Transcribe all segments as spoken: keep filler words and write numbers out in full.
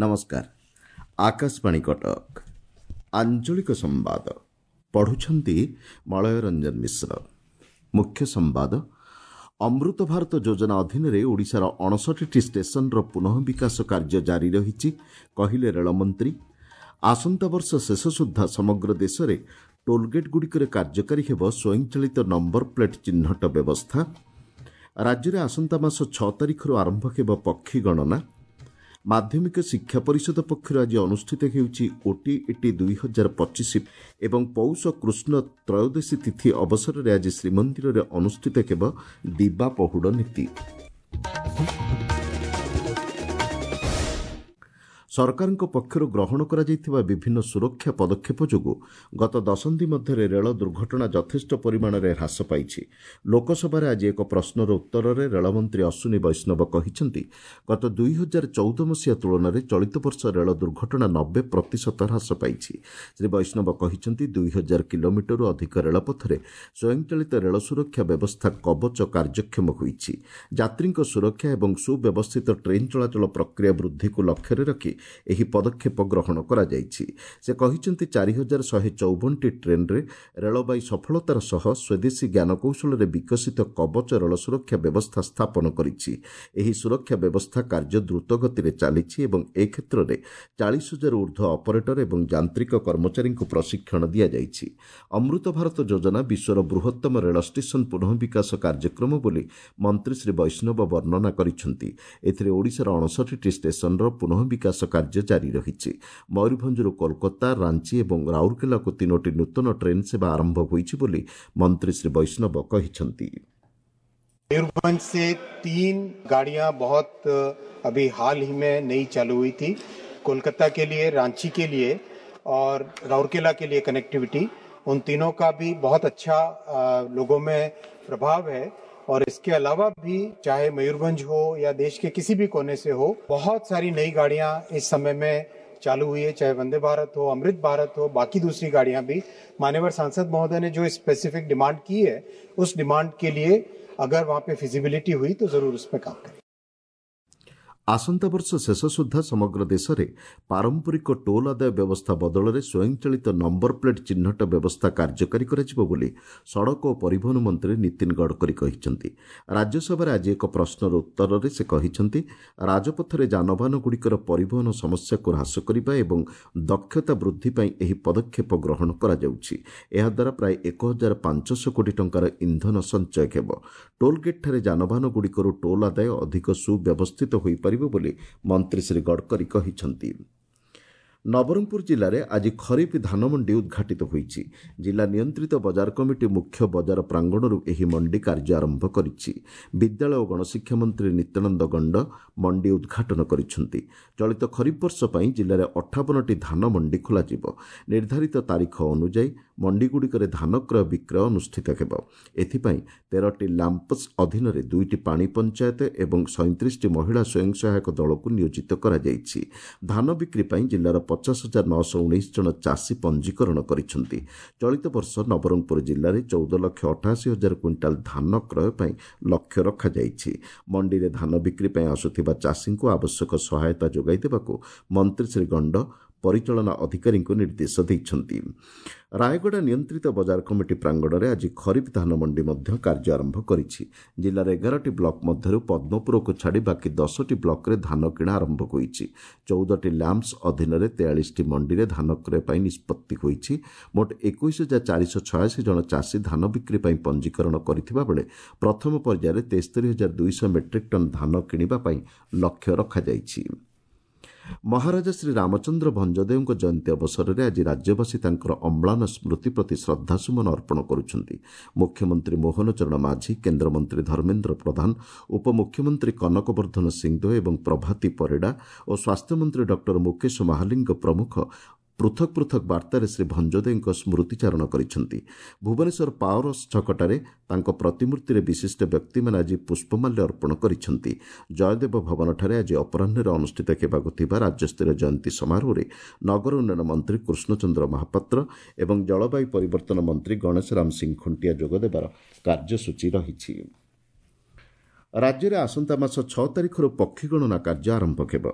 ନମସ୍କାର ଆକାଶବାଣୀ କଟକ ଆଞ୍ଚଳିକ ସମ୍ବାଦ ପଢୁଛନ୍ତି ମଳୟ ରଞ୍ଜନ ମିଶ୍ର ମୁଖ୍ୟ ସମ୍ବାଦ ଅମୃତ ଭାରତ ଯୋଜନା ଅଧୀନରେ ଓଡ଼ିଶାର ଅଣଷଠିଟି ଷ୍ଟେସନର ପୁନଃ ବିକାଶ କାର୍ଯ୍ୟ ଜାରି ରହିଛି କହିଲେ ରେଳମନ୍ତ୍ରୀ ଆସନ୍ତା ବର୍ଷ ଶେଷ ସୁଦ୍ଧା ସମଗ୍ର ଦେଶରେ ଟୋଲଗେଟ୍ଗୁଡ଼ିକରେ କାର୍ଯ୍ୟକାରୀ ହେବ ସ୍ୱୟଂଚାଳିତ ନମ୍ବର ପ୍ଲେଟ୍ ଚିହ୍ନଟ ବ୍ୟବସ୍ଥା ରାଜ୍ୟରେ ଆସନ୍ତା ମାସ ଛଅ ତାରିଖରୁ ଆରମ୍ଭ ହେବ ପକ୍ଷୀ ଗଣନା ମାଧ୍ୟମିକ ଶିକ୍ଷା ପରିଷଦ ପକ୍ଷରୁ ଆଜି ଅନୁଷ୍ଠିତ ହେଉଛି ଓଟିଇଟି ଦୁଇ ହଜାର ପଚିଶ ଏବଂ ପୌଷ କୃଷ୍ଣ ତ୍ରୟୋଦଶୀ ତିଥି ଅବସରରେ ଆଜି ଶ୍ରୀମନ୍ଦିରରେ ଅନୁଷ୍ଠିତ ହେବ ଦିବା ପହୁଡ଼ ନୀତି ସରକାରଙ୍କ ପକ୍ଷରୁ ଗ୍ରହଣ କରାଯାଇଥିବା ବିଭିନ୍ନ ସୁରକ୍ଷା ପଦକ୍ଷେପ ଯୋଗୁଁ ଗତ ଦଶନ୍ଧି ମଧ୍ୟରେ ରେଳ ଦୁର୍ଘଟଣା ଯଥେଷ୍ଟ ପରିମାଣରେ ହ୍ରାସ ପାଇଛି ଲୋକସଭାରେ ଆଜି ଏକ ପ୍ରଶ୍ନର ଉତ୍ତରରେ ରେଳମନ୍ତ୍ରୀ ଅଶ୍ୱିନୀ ବୈଷ୍ଣବ କହିଛନ୍ତି ଗତ ଦୁଇ ହଜାର ଚଉଦ ମସିହା ତୁଳନାରେ ଚଳିତ ବର୍ଷ ରେଳ ଦୁର୍ଘଟଣା ନବେ ପ୍ରତିଶତ ହ୍ରାସ ପାଇଛି ଶ୍ରୀ ବୈଷ୍ଣବ କହିଛନ୍ତି ଦୁଇ ହଜାର କିଲୋମିଟରରୁ ଅଧିକ ରେଳପଥରେ ସ୍ୱୟଂଚାଳିତ ରେଳ ସୁରକ୍ଷା ବ୍ୟବସ୍ଥା କବଚ କାର୍ଯ୍ୟକ୍ଷମ ହୋଇଛି ଯାତ୍ରୀଙ୍କ ସୁରକ୍ଷା ଏବଂ ସୁବ୍ୟବସ୍ଥିତ ଟ୍ରେନ୍ ଚଳାଚଳ ପ୍ରକ୍ରିୟା ବୃଦ୍ଧିକୁ ଲକ୍ଷ୍ୟରେ ରଖି ଏହି ପଦକ୍ଷେପ ଗ୍ରହଣ କରାଯାଇଛି ସେ କହିଛନ୍ତି ଚାରି ହଜାର ଶହେ ଚଉବନଟି ଟ୍ରେନ୍ରେ ରେଳବାଇ ସଫଳତାର ସହ ସ୍ୱଦେଶୀ ଜ୍ଞାନକୌଶଳରେ ବିକଶିତ କବଚ ରେଳ ସୁରକ୍ଷା ବ୍ୟବସ୍ଥା ସ୍ଥାପନ କରିଛି ଏହି ସୁରକ୍ଷା ବ୍ୟବସ୍ଥା କାର୍ଯ୍ୟ ଦ୍ରୁତଗତିରେ ଚାଲିଛି ଏବଂ ଏ କ୍ଷେତ୍ରରେ ଚାଳିଶ ହଜାରରୁ ଉର୍ଦ୍ଧ୍ୱ ଅପରେଟର ଏବଂ ଯାନ୍ତ୍ରିକ କର୍ମଚାରୀଙ୍କୁ ପ୍ରଶିକ୍ଷଣ ଦିଆଯାଇଛି ଅମୃତ ଭାରତ ଯୋଜନା ବିଶ୍ୱର ବୃହତ୍ତମ ରେଳ ଷ୍ଟେସନ ପୁନଃ ବିକାଶ କାର୍ଯ୍ୟକ୍ରମ ବୋଲି ମନ୍ତ୍ରୀ ଶ୍ରୀ ବୈଷ୍ଣବ ବର୍ଣ୍ଣନା କରିଛନ୍ତି ଏଥିରେ ଓଡ଼ିଶାର ଅଣଷଠିଟି ଷ୍ଟେସନର ପୁନଃ ବିକାଶ କାର୍ଯ୍ୟ ଜାରି ରହିଛି ମୟୂରଭଞ୍ଜରୁ କୋଲକାତା ରାଞ୍ଚି ଏବଂ ରାଉରକେଲାକୁ ତିନୋଟି ନୂତନ ଟ୍ରେନ୍ ସେବା ଆରମ୍ଭ ହୋଇଛି ବୋଲି ମନ୍ତ୍ରୀ ଶ୍ରୀ ବୈଷ୍ଣବ କହିଛନ୍ତି मयूरभंज से तीन गाड़ियां बहुत अभी हाल ही में नई चालू हुई थी कोलकाता के लिए रांची के लिए और राउरकेला के लिए कनेक्टिविटी उन तीनों का भी बहुत अच्छा लोगों में प्रभाव है और इसके अलावा भी चाहे मयूरभंज हो या देश के किसी भी कोने से हो बहुत सारी नई गाड़ियां इस समय में चालू हुई है चाहे वंदे भारत हो अमृत भारत हो बाकी दूसरी गाड़ियां भी मान्यवर सांसद महोदय ने जो स्पेसिफिक डिमांड की है उस डिमांड के लिए अगर वहाँ पे फिजिबिलिटी हुई तो जरूर उस पर काम करें ଆସନ୍ତା ବର୍ଷ ଶେଷ ସୁଦ୍ଧା ସମଗ୍ର ଦେଶରେ ପାରମ୍ପରିକ ଟୋଲ୍ ଆଦାୟ ବ୍ୟବସ୍ଥା ବଦଳରେ ସ୍ୱୟଂଚାଳିତ ନମ୍ବର ପ୍ଲେଟ୍ ଚିହ୍ନଟ ବ୍ୟବସ୍ଥା କାର୍ଯ୍ୟକାରୀ କରାଯିବ ବୋଲି ସଡ଼କ ଓ ପରିବହନ ମନ୍ତ୍ରୀ ନୀତିନ ଗଡ଼କରୀ କହିଛନ୍ତି ରାଜ୍ୟସଭାରେ ଆଜି ଏକ ପ୍ରଶ୍ନର ଉତ୍ତରରେ ସେ କହିଛନ୍ତି ରାଜପଥରେ ଯାନବାହନଗୁଡ଼ିକର ପରିବହନ ସମସ୍ୟାକୁ ହ୍ରାସ କରିବା ଏବଂ ଦକ୍ଷତା ବୃଦ୍ଧି ପାଇଁ ଏହି ପଦକ୍ଷେପ ଗ୍ରହଣ କରାଯାଉଛି ଏହାଦ୍ୱାରା ପ୍ରାୟ ଏକ ହଜାର ପାଞ୍ଚଶହ କୋଟି ଟଙ୍କାର ଇନ୍ଧନ ସଞ୍ଚୟ ହେବ ଟୋଲ୍ଗେଟ୍ଠାରେ ଯାନବାହନଗୁଡ଼ିକରୁ ଟୋଲ୍ ଆଦାୟ ଅଧିକ ସୁବ୍ୟବସ୍ଥିତ ହୋଇପାରିବ ବୋଲି ମନ୍ତ୍ରୀ ଶ୍ରୀ ଗଡ଼କରୀ କହିଛନ୍ତି ନବରଙ୍ଗପୁର ଜିଲ୍ଲାରେ ଆଜି ଖରିଫ ଧାନମଣ୍ଡି ଉଦ୍ଘାଟିତ ହୋଇଛି ଜିଲ୍ଲା ନିୟନ୍ତ୍ରିତ ବଜାର କମିଟି ମୁଖ୍ୟ ବଜାର ପ୍ରାଙ୍ଗଣରୁ ଏହି ମଣ୍ଡି କାର୍ଯ୍ୟ ଆରମ୍ଭ କରିଛି ବିଦ୍ୟାଳୟ ଓ ଗଣଶିକ୍ଷା ମନ୍ତ୍ରୀ ନିତ୍ୟାନନ୍ଦ ଗଣ୍ଡ ମଣ୍ଡି ଉଦ୍ଘାଟନ କରିଛନ୍ତି ଚଳିତ ଖରିଫ ବର୍ଷ ପାଇଁ ଜିଲ୍ଲାରେ ଅଠାବନଟି ଧାନ ମଣ୍ଡି ଖୋଲାଯିବ ନିର୍ଦ୍ଧାରିତ ତାରିଖ ଅନୁଯାୟୀ ମଣ୍ଡିଗୁଡ଼ିକରେ ଧାନ କ୍ରୟ ବିକ୍ରୟ ଅନୁଷ୍ଠିତ ହେବ ଏଥିପାଇଁ ତେରଟି ଲାମ୍ପସ୍ ଅଧୀନରେ ଦୁଇଟି ପାଣି ପଞ୍ଚାୟତ ଏବଂ ସଇଁତିରିଶଟି ମହିଳା ସ୍ୱୟଂ ସହାୟକ ଦଳକୁ ନିୟୋଜିତ କରାଯାଇଛି ଧାନ ବିକ୍ରି ପାଇଁ ଜିଲ୍ଲାର ପଚାଶ ହଜାର ନଅଶହ ଉଣେଇଶ ଜଣ ଚାଷୀ ପଞ୍ଜୀକରଣ କରିଛନ୍ତି ଚଳିତ ବର୍ଷ ନବରଙ୍ଗପୁର ଜିଲ୍ଲାରେ ଚଉଦ ଲକ୍ଷ ଅଠାଅଶୀ ହଜାର କୁଇଣ୍ଟାଲ ଧାନ କ୍ରୟ ପାଇଁ ଲକ୍ଷ୍ୟ ରଖାଯାଇଛି ମଣ୍ଡିରେ ଧାନ ବିକ୍ରି ପାଇଁ ଆସୁଥିବା ଚାଷୀଙ୍କୁ ଆବଶ୍ୟକ ସହାୟତା ଯୋଗାଇ ଦେବାକୁ ମନ୍ତ୍ରୀ ଶ୍ରୀ ଗଣ୍ଡ ପରିଚାଳନା ଅଧିକାରୀଙ୍କୁ ନିର୍ଦ୍ଦେଶ ଦେଇଛନ୍ତି ରାୟଗଡ଼ା ନିୟନ୍ତ୍ରିତ ବଜାର କମିଟି ପ୍ରାଙ୍ଗଣରେ ଆଜି ଖରିଫ ଧାନ ମଣ୍ଡି ମଧ୍ୟ କାର୍ଯ୍ୟ ଆରମ୍ଭ କରିଛି ଜିଲ୍ଲାର ଏଗାରଟି ବ୍ଲକ ମଧ୍ୟରୁ ପଦ୍ମପୁରକୁ ଛାଡ଼ି ବାକି ଦଶଟି ବ୍ଲକରେ ଧାନ କିଣା ଆରମ୍ଭ ହୋଇଛି ଚଉଦଟି ଲ୍ୟାମ୍ପସ ଅଧୀନରେ ତେୟାଳିଶଟି ମଣ୍ଡିରେ ଧାନ କ୍ରୟ ପାଇଁ ନିଷ୍ପତ୍ତି ହୋଇଛି ମୋଟ ଏକୋଇଶ ହଜାର ଚାରିଶହ ଛୟାଅଶୀ ଜଣ ଚାଷୀ ଧାନ ବିକ୍ରି ପାଇଁ ପଞ୍ଜୀକରଣ କରିଥିବା ବେଳେ ପ୍ରଥମ ପର୍ଯ୍ୟାୟରେ ତେସ୍ତରୀ ହଜାର ଦୁଇଶହ ମେଟ୍ରିକ୍ ଟନ୍ ଧାନ କିଣିବା ପାଇଁ ଲକ୍ଷ୍ୟ ରଖାଯାଇଛି ମହାରାଜା ଶ୍ରୀ ରାମଚନ୍ଦ୍ର ଭଞ୍ଜଦେଓଙ୍କ ଜୟନ୍ତୀ ଅବସରରେ ଆଜି ରାଜ୍ୟବାସୀ ତାଙ୍କର ଅମ୍ଳାନ ସ୍ମୃତି ପ୍ରତି ଶ୍ରଦ୍ଧାସୁମନ ଅର୍ପଣ କରୁଛନ୍ତି ମୁଖ୍ୟମନ୍ତ୍ରୀ ମୋହନ ଚରଣ ମାଝୀ କେନ୍ଦ୍ରମନ୍ତ୍ରୀ ଧର୍ମେନ୍ଦ୍ର ପ୍ରଧାନ ଉପମୁଖ୍ୟମନ୍ତ୍ରୀ କନକ ବର୍ଦ୍ଧନ ସିଂଦେଓ ଏବଂ ପ୍ରଭାତୀ ପରିଡ଼ା ଓ ସ୍ୱାସ୍ଥ୍ୟମନ୍ତ୍ରୀ ଡକ୍ଟର ମୁକେଶ ମହାଲିଙ୍ଗ ପ୍ରମୁଖ ପୃଥକ ପୃଥକ ବାର୍ତ୍ତାରେ ଶ୍ରୀ ଭଞ୍ଜଦେଓଙ୍କ ସ୍ମୃତିଚାରଣ କରିଛନ୍ତି ଭୁବନେଶ୍ୱର ପାୱାର ଛକଠାରେ ତାଙ୍କ ପ୍ରତିମୂର୍ତ୍ତିରେ ବିଶିଷ୍ଟ ବ୍ୟକ୍ତିମାନେ ଆଜି ପୁଷ୍ପମାଲ୍ୟ ଅର୍ପଣ କରିଛନ୍ତି ଜୟଦେବ ଭବନଠାରେ ଆଜି ଅପରାହ୍ନରେ ଅନୁଷ୍ଠିତ ହେବାକୁ ଥିବା ରାଜ୍ୟସ୍ତରୀୟ ଜୟନ୍ତୀ ସମାରୋହରେ ନଗର ଉନ୍ନୟନ ମନ୍ତ୍ରୀ କୃଷ୍ଣଚନ୍ଦ୍ର ମହାପାତ୍ର ଏବଂ ଜଳବାୟୁ ପରିବର୍ତ୍ତନ ମନ୍ତ୍ରୀ ଗଣେଶ ରାମ ସିଂ ଖୁଣ୍ଟିଆ ଯୋଗଦେବାର କାର୍ଯ୍ୟସୂଚୀ ରହିଛି ରାଜ୍ୟରେ ଆସନ୍ତା ମାସ ଛଅ ତାରିଖରୁ ପକ୍ଷୀ ଗଣନା କାର୍ଯ୍ୟ ଆରମ୍ଭ ହେବ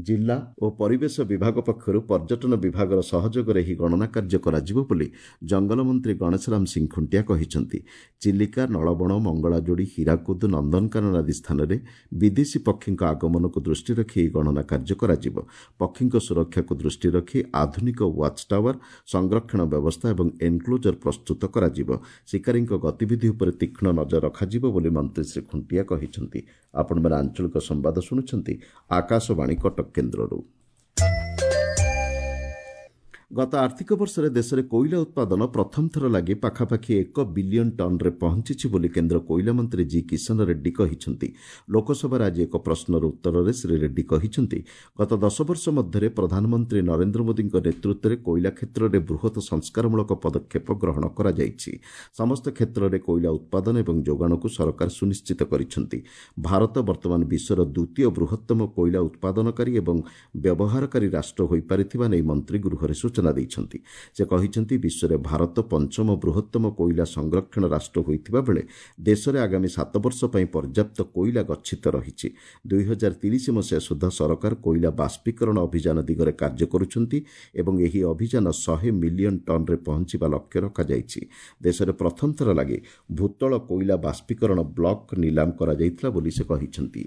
ଜିଲ୍ଲା ଓ ପରିବେଶ ବିଭାଗ ପକ୍ଷରୁ ପର୍ଯ୍ୟଟନ ବିଭାଗର ସହଯୋଗରେ ଏହି ଗଣନା କାର୍ଯ୍ୟ କରାଯିବ ବୋଲି ଜଙ୍ଗଲ ମନ୍ତ୍ରୀ ଗଣେଶରାମ ସିଂ ଖୁଣ୍ଟିଆ କହିଛନ୍ତି। ଚିଲିକା, ନଳବଣ, ମଙ୍ଗଳାଯୋଡ଼ି, ହୀରାକୁଦ, ନନ୍ଦନକାନନ ଆଦି ସ୍ଥାନରେ ବିଦେଶୀ ପକ୍ଷୀଙ୍କ ଆଗମନକୁ ଦୃଷ୍ଟିରେ ରଖି ଏହି ଗଣନା କାର୍ଯ୍ୟ କରାଯିବ। ପକ୍ଷୀଙ୍କ ସୁରକ୍ଷାକୁ ଦୃଷ୍ଟିରେ ରଖି ଆଧୁନିକ ୱାଚ୍ ଟାୱାର, ସଂରକ୍ଷଣ ବ୍ୟବସ୍ଥା ଏବଂ ଏନ୍କ୍ଲୋଜର ପ୍ରସ୍ତୁତ କରାଯିବ। ଶିକାରୀଙ୍କ ଗତିବିଧି ଉପରେ ତୀକ୍ଷ୍ଣ ନଜର ରଖାଯିବ ବୋଲି ମନ୍ତ୍ରୀ ଶ୍ରୀ ଖୁଣ୍ଟିଆ କହିଛନ୍ତି। ଆପଣମାନେ ଆଞ୍ଚଳିକ ସମ୍ବାଦ ଶୁଣୁଛନ୍ତି ଆକାଶବାଣୀ କଟକ କେନ୍ଦ୍ରରୁ। ଗତ ଆର୍ଥିକ ବର୍ଷରେ ଦେଶରେ କୋଇଲା ଉତ୍ପାଦନ ପ୍ରଥମ ଥର ଲାଗି ପାଖାପାଖି ଏକ ବିଲିୟନ ଟନ୍ରେ ପହଞ୍ଚିଛି ବୋଲି କେନ୍ଦ୍ର କୋଇଲା ମନ୍ତ୍ରୀ ଜି କିଶନ ରେଡ୍ଡୀ କହିଛନ୍ତି। ଲୋକସଭାରେ ଆଜି ଏକ ପ୍ରଶ୍ନର ଉତ୍ତରରେ ଶ୍ରୀ ରେଡ୍ଡୀ କହିଛନ୍ତି, ଗତ ଦଶ ବର୍ଷ ମଧ୍ୟରେ ପ୍ରଧାନମନ୍ତ୍ରୀ ନରେନ୍ଦ୍ର ମୋଦିଙ୍କ ନେତୃତ୍ୱରେ କୋଇଲା କ୍ଷେତ୍ରରେ ବୃହତ ସଂସ୍କାରମୂଳକ ପଦକ୍ଷେପ ଗ୍ରହଣ କରାଯାଇଛି। ସମସ୍ତ କ୍ଷେତ୍ରରେ କୋଇଲା ଉତ୍ପାଦନ ଏବଂ ଯୋଗାଣକୁ ସରକାର ସୁନିଶ୍ଚିତ କରିଛନ୍ତି। ଭାରତ ବର୍ତ୍ତମାନ ବିଶ୍ୱର ଦ୍ୱିତୀୟ ବୃହତ୍ତମ କୋଇଲା ଉତ୍ପାଦନକାରୀ ଏବଂ ବ୍ୟବହାରକାରୀ ରାଷ୍ଟ୍ର ହୋଇପାରିଥିବା ନେଇ ମନ୍ତ୍ରୀ ଗୃହରେ ସୂଚନା ଦେଇଛନ୍ତି। ସେ କହିଛନ୍ତି, ବିଶ୍ୱରେ ଭାରତ ପଞ୍ଚମ ବୃହତ୍ତମ କୋଇଲା ସଂରକ୍ଷଣ ରାଷ୍ଟ୍ର ହୋଇଥିବା ବେଳେ ଦେଶରେ ଆଗାମୀ ସାତ ବର୍ଷ ପାଇଁ ପର୍ଯ୍ୟାପ୍ତ କୋଇଲା ଗଚ୍ଛିତ ରହିଛି। ଦୁଇ ହଜାର ତିରିଶ ମସିହା ସୁଦ୍ଧା ସରକାର କୋଇଲା ବାଷ୍ପୀକରଣ ଅଭିଯାନ ଦିଗରେ କାର୍ଯ୍ୟ କରୁଛନ୍ତି ଏବଂ ଏହି ଅଭିଯାନ ଶହେ ମିଲିୟନ ଟନ୍ରେ ପହଞ୍ଚିବା ଲକ୍ଷ୍ୟ ରଖାଯାଇଛି। ଦେଶରେ ପ୍ରଥମ ଥର ଲାଗି ଭୂତଳ କୋଇଲା ବାଷ୍ପୀକରଣ ବ୍ଲକ ନିଲାମ କରାଯାଇଥିଲା ବୋଲି ସେ କହିଛନ୍ତି।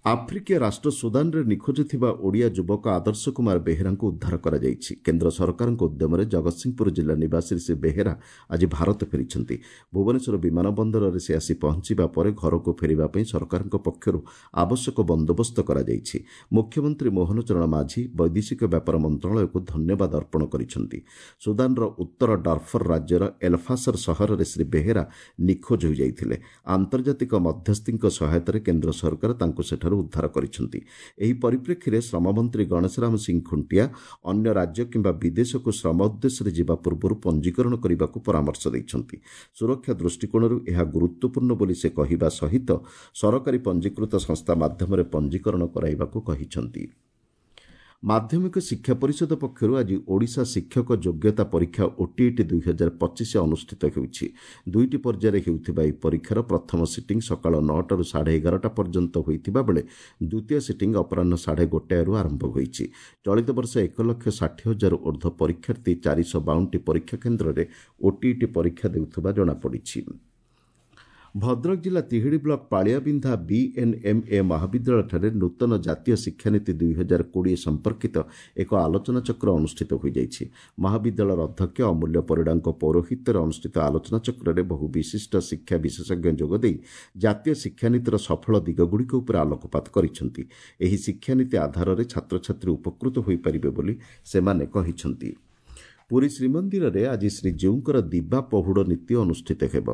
ଆଫ୍ରିକୀୟ ରାଷ୍ଟ୍ର ସୁଦାନରେ ନିଖୋଜ ଥିବା ଓଡ଼ିଆ ଯୁବକ ଆଦର୍ଶ କୁମାର ବେହେରାଙ୍କୁ ଉଦ୍ଧାର କରାଯାଇଛି। କେନ୍ଦ୍ର ସରକାରଙ୍କ ଉଦ୍ୟମରେ ଜଗତସିଂହପୁର ଜିଲ୍ଲା ନିବାସୀ ଶ୍ରୀ ବେହେରା ଆଜି ଭାରତ ଫେରିଛନ୍ତି। ଭୁବନେଶ୍ୱର ବିମାନ ବନ୍ଦରରେ ସେ ଆସି ପହଞ୍ଚିବା ପରେ ଘରକୁ ଫେରିବା ପାଇଁ ସରକାରଙ୍କ ପକ୍ଷରୁ ଆବଶ୍ୟକ ବନ୍ଦୋବସ୍ତ କରାଯାଇଛି। ମୁଖ୍ୟମନ୍ତ୍ରୀ ମୋହନ ଚରଣ ମାଝୀ ବୈଦେଶିକ ବ୍ୟାପାର ମନ୍ତ୍ରଣାଳୟକୁ ଧନ୍ୟବାଦ ଅର୍ପଣ କରିଛନ୍ତି। ସୁଦାନର ଉତ୍ତର ଡାର୍ଫର ରାଜ୍ୟର ଏଲଫାସର ସହରରେ ଶ୍ରୀ ବେହେରା ନିଖୋଜ ହୋଇଯାଇଥିଲେ। ଆନ୍ତର୍ଜାତିକ ମଧ୍ୟସ୍ଥିଙ୍କ ସହାୟତାରେ କେନ୍ଦ୍ର ସରକାର ତାଙ୍କୁ ସେଠାରୁ ଉଦ୍ଧାର କରିଛନ୍ତି। ଏହି ପରିପ୍ରେକ୍ଷୀରେ ଶ୍ରମମନ୍ତ୍ରୀ ଗଣେଶରାମ ସିଂ ଖୁଣ୍ଟିଆ ଅନ୍ୟ ରାଜ୍ୟ କିମ୍ବା ବିଦେଶକୁ ଶ୍ରମ ଉଦ୍ଦେଶ୍ୟରେ ଯିବା ପୂର୍ବରୁ ପଞ୍ଜୀକରଣ କରିବାକୁ ପରାମର୍ଶ ଦେଇଛନ୍ତି। ସୁରକ୍ଷା ଦୃଷ୍ଟିକୋଣରୁ ଏହା ଗୁରୁତ୍ୱପୂର୍ଣ୍ଣ ବୋଲି ସେ କହିବା ସହିତ ସରକାରୀ ପଞ୍ଜୀକୃତ ସଂସ୍ଥା ମାଧ୍ୟମରେ ପଞ୍ଜୀକରଣ କରାଇବାକୁ କହିଛନ୍ତି। ମାଧ୍ୟମିକ ଶିକ୍ଷା ପରିଷଦ ପକ୍ଷରୁ ଆଜି ଓଡ଼ିଶା ଶିକ୍ଷକ ଯୋଗ୍ୟତା ପରୀକ୍ଷା ଓଟିଇଟି ଦୁଇ ହଜାର ପଚିଶ ଅନୁଷ୍ଠିତ ହେଉଛି। ଦୁଇଟି ପର୍ଯ୍ୟାୟରେ ହେଉଥିବା ଏହି ପରୀକ୍ଷାର ପ୍ରଥମ ସିଟିଂ ସକାଳ ନଅଟାରୁ ସାଢ଼େ ଏଗାରଟା ପର୍ଯ୍ୟନ୍ତ ହୋଇଥିବା ବେଳେ ଦ୍ୱିତୀୟ ସିଟିଂ ଅପରାହ୍ନ ସାଢ଼େ ଗୋଟାଏରୁ ଆରମ୍ଭ ହୋଇଛି। ଚଳିତ ବର୍ଷ ଏକ ଲକ୍ଷ ଷାଠିଏ ହଜାର ଉର୍ଦ୍ଧ୍ୱ ପରୀକ୍ଷାର୍ଥୀ ଚାରିଶହ ବାଉନଟି ପରୀକ୍ଷା କେନ୍ଦ୍ରରେ ଓଟିଇଟି ପରୀକ୍ଷା ଦେଉଥିବା ଜଣାପଡ଼ିଛି। ଭଦ୍ରକ ଜିଲ୍ଲା ତିହିଡ଼ି ବ୍ଲକ ପାଳିଆବିନ୍ଧା ବିଏନ୍ଏମ୍ଏ ମହାବିଦ୍ୟାଳୟଠାରେ ନୂତନ ଜାତୀୟ ଶିକ୍ଷାନୀତି ଦୁଇ ହଜାର କୋଡ଼ିଏ ସମ୍ପର୍କିତ ଏକ ଆଲୋଚନାଚକ୍ର ଅନୁଷ୍ଠିତ ହୋଇଯାଇଛି। ମହାବିଦ୍ୟାଳୟର ଅଧ୍ୟକ୍ଷ ଅମୂଲ୍ୟ ପରିଡ଼ାଙ୍କ ପୌରୋହିତ୍ୟରେ ଅନୁଷ୍ଠିତ ଆଲୋଚନାଚକ୍ରରେ ବହୁ ବିଶିଷ୍ଟ ଶିକ୍ଷା ବିଶେଷଜ୍ଞ ଯୋଗଦେଇ ଜାତୀୟ ଶିକ୍ଷାନୀତିର ସଫଳ ଦିଗଗୁଡ଼ିକ ଉପରେ ଆଲୋକପାତ କରିଛନ୍ତି। ଏହି ଶିକ୍ଷାନୀତି ଆଧାରରେ ଛାତ୍ରଛାତ୍ରୀ ଉପକୃତ ହୋଇପାରିବେ ବୋଲି ସେମାନେ କହିଛନ୍ତି। ପୁରୀ ଶ୍ରୀମନ୍ଦିରରେ ଆଜି ଶ୍ରୀଜୀଉଙ୍କର ଦିବା ପହୁଡ଼ ନୀତି ଅନୁଷ୍ଠିତ ହେବ।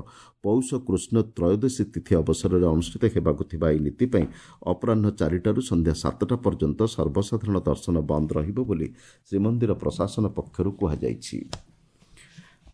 ପୌଷ କୃଷ୍ଣ ତ୍ରୟୋଦଶୀ ତିଥି ଅବସରରେ ଅନୁଷ୍ଠିତ ହେବାକୁ ଥିବା ଏହି ନୀତି ପାଇଁ ଅପରାହ୍ନ ଚାରିଟାରୁ ସନ୍ଧ୍ୟା ସାତଟା ପର୍ଯ୍ୟନ୍ତ ସର୍ବସାଧାରଣ ଦର୍ଶନ ବନ୍ଦ ରହିବ ବୋଲି ଶ୍ରୀମନ୍ଦିର ପ୍ରଶାସନ ପକ୍ଷରୁ କୁହାଯାଇଛି।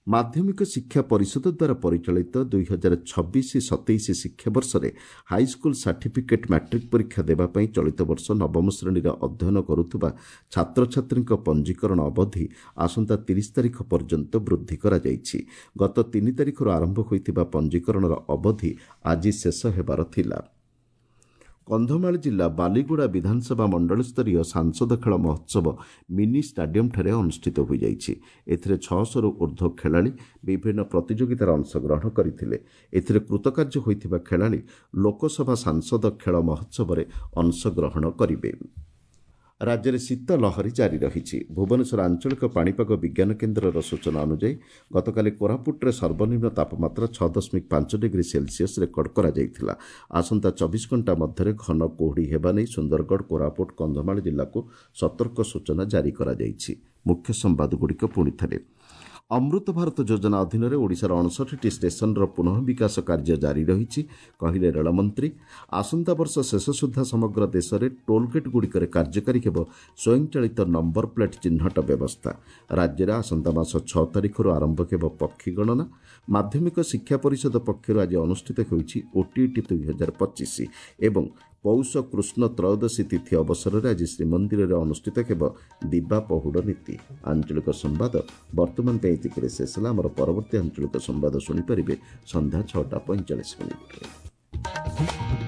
ମାଧ୍ୟମିକ ଶିକ୍ଷା ପରିଷଦ ଦ୍ୱାରା ପରିଚାଳିତ ଦୁଇ ହଜାର ଛବିଶ ସତେଇଶ ଶିକ୍ଷାବର୍ଷରେ ହାଇସ୍କୁଲ ସାର୍ଟିଫିକେଟ୍ ମାଟ୍ରିକ୍ ପରୀକ୍ଷା ଦେବା ପାଇଁ ଚଳିତ ବର୍ଷ ନବମ ଶ୍ରେଣୀରେ ଅଧ୍ୟୟନ କରୁଥିବା ଛାତ୍ରଛାତ୍ରୀଙ୍କ ପଞ୍ଜୀକରଣ ଅବଧି ଆସନ୍ତା ତିରିଶ ତାରିଖ ପର୍ଯ୍ୟନ୍ତ ବୃଦ୍ଧି କରାଯାଇଛି। ଗତ ତିନି ତାରିଖରୁ ଆରମ୍ଭ ହୋଇଥିବା ପଞ୍ଜୀକରଣର ଅବଧି ଆଜି ଶେଷ ହେବାର ଥିଲା। କନ୍ଧମାଳ ଜିଲ୍ଲା ବାଲିଗୁଡ଼ା ବିଧାନସଭା ମଣ୍ଡଳସ୍ତରୀୟ ସାଂସଦ ଖେଳ ମହୋତ୍ସବ ମିନି ଷ୍ଟାଡିୟମ୍ଠାରେ ଅନୁଷ୍ଠିତ ହୋଇଯାଇଛି। ଏଥିରେ ଛଅଶହରୁ ଉର୍ଦ୍ଧ୍ୱ ଖେଳାଳି ବିଭିନ୍ନ ପ୍ରତିଯୋଗିତାରେ ଅଂଶଗ୍ରହଣ କରିଥିଲେ। ଏଥିରେ କୃତକାର୍ଯ୍ୟ ହୋଇଥିବା ଖେଳାଳି ଲୋକସଭା ସାଂସଦ ଖେଳ ମହୋତ୍ସବରେ ଅଂଶଗ୍ରହଣ କରିବେ। ରାଜ୍ୟରେ ଶୀତ ଲହରୀ ଜାରି ରହିଛି। ଭୁବନେଶ୍ୱର ଆଞ୍ଚଳିକ ପାଣିପାଗ ବିଜ୍ଞାନ କେନ୍ଦ୍ରର ସୂଚନା ଅନୁଯାୟୀ ଗତକାଲି କୋରାପୁଟରେ ସର୍ବନିମ୍ନ ତାପମାତ୍ରା ଛଅ ଦଶମିକ ପାଞ୍ଚ ଡିଗ୍ରୀ ସେଲସିୟସ୍ ରେକର୍ଡ କରାଯାଇଥିଲା। ଆସନ୍ତା ଚବିଶ ଘଣ୍ଟା ମଧ୍ୟରେ ଘନ କୁହୁଡ଼ି ହେବା ନେଇ ସୁନ୍ଦରଗଡ଼, କୋରାପୁଟ, କନ୍ଧମାଳ ଜିଲ୍ଲାକୁ ସତର୍କ ସୂଚନା ଜାରି କରାଯାଇଛି। ମୁଖ୍ୟ ସମ୍ବାଦଗୁଡ଼ିକ ପୁଣି ଥରେ। ଅମୃତ ଭାରତ ଯୋଜନା ଅଧୀନରେ ଓଡ଼ିଶାର ଅଣଷଠିଟି ଷ୍ଟେସନର ପୁନଃ ବିକାଶ କାର୍ଯ୍ୟ ଜାରି ରହିଛି, କହିଲେ ରେଳମନ୍ତ୍ରୀ। ଆସନ୍ତା ବର୍ଷ ଶେଷ ସୁଦ୍ଧା ସମଗ୍ର ଦେଶରେ ଟୋଲଗେଟ୍ଗୁଡ଼ିକରେ କାର୍ଯ୍ୟକାରୀ ହେବ ସ୍ୱୟଂଚାଳିତ ନମ୍ବର ପ୍ଲେଟ୍ ଚିହ୍ନଟ ବ୍ୟବସ୍ଥା। ରାଜ୍ୟରେ ଆସନ୍ତା ମାସ ଛଅ ତାରିଖରୁ ଆରମ୍ଭ ହେବ ପକ୍ଷୀ ଗଣନା। ମାଧ୍ୟମିକ ଶିକ୍ଷା ପରିଷଦ ପକ୍ଷରୁ ଆଜି ଅନୁଷ୍ଠିତ ହେଉଛି ଓଟିଇଟି ଦୁଇ ହଜାର ପଚିଶ ଏବଂ ପୌଷ କୃଷ୍ଣ ତ୍ରୟୋଦଶୀ ତିଥି ଅବସରରେ ଆଜି ଶ୍ରୀମନ୍ଦିରରେ ଅନୁଷ୍ଠିତ ହେବ ଦିବା ପହୁଡ଼ ନୀତି। ଆଞ୍ଚଳିକ ସମ୍ବାଦ ବର୍ତ୍ତମାନ ପାଇଁ ଏତିକିରେ ଶେଷ ହେଲା। ଆମର ପରବର୍ତ୍ତୀ ଆଞ୍ଚଳିକ ସମ୍ବାଦ ଶୁଣିପାରିବେ ସନ୍ଧ୍ୟା ଛଅଟା ପଇଁଚାଳିଶ ମିନିଟ୍ରେ।